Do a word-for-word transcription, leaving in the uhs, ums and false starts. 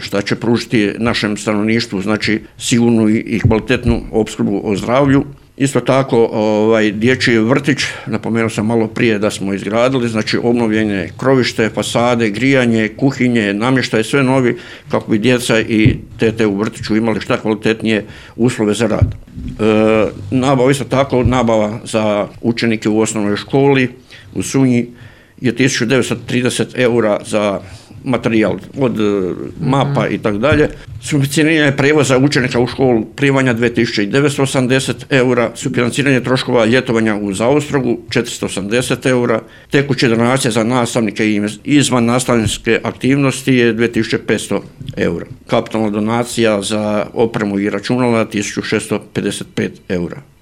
šta će pružiti našem stanovništvu, znači sigurnu i kvalitetnu opskrbu o zdravlju. Isto tako, ovaj, dječji vrtić, napomenuo sam malo prije da smo izgradili, znači obnovljene krovište, fasade, grijanje, kuhinje, namještaj, sve novi kako bi djeca i tete u vrtiću imali šta kvalitetnije uslove za rad. E, nabava, isto tako, nabava za učenike u osnovnoj školi u Sunji je tisuću devetsto trideset eura za materijal od mapa i tako dalje. Sufinanciranje prijevoza učenika u školu primanja dvije tisuće devetsto osamdeset eura, sufinanciranje troškova ljetovanja u Zaostrogu četiristo osamdeset eura, tekuće donacije za nastavnike i izvan nastavničke aktivnosti je dvije tisuće petsto eura. Kapitalna donacija za opremu i računala tisuću šesto pedeset pet eura.